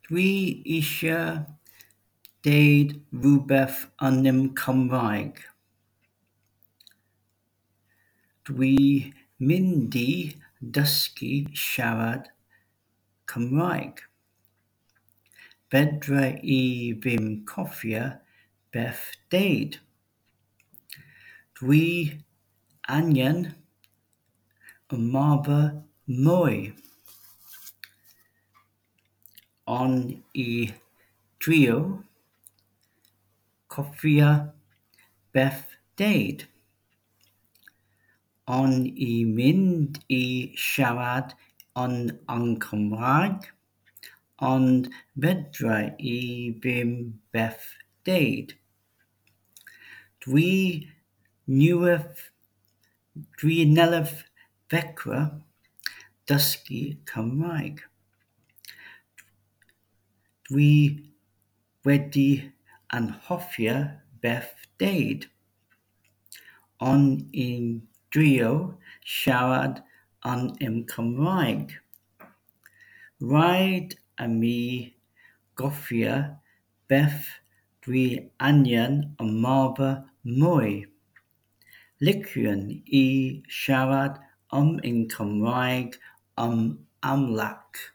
Dwi eisiau deud rhywbeth yn y Cymraeg. Dwi mynd i dysgu siarad Cymraeg. Fedra i ddim cofio beth deud. Dwi angen ymarfer mwy. O'n i drio cofio beth deud. O'n i mynd i siarad yn yn Cymraeg, ond fedra i ddim beth deud. Dwi newydd dwi newydd ddechrau dysgu Cymraeg. Dwi wedi anghofio beth deud. O'n i'n drio siarad yn y Cymraeg. Rhaid i mi gofio beth dwi angen ymarfer mwy. Liciwn i siarad yn y Cymraeg yn amlach.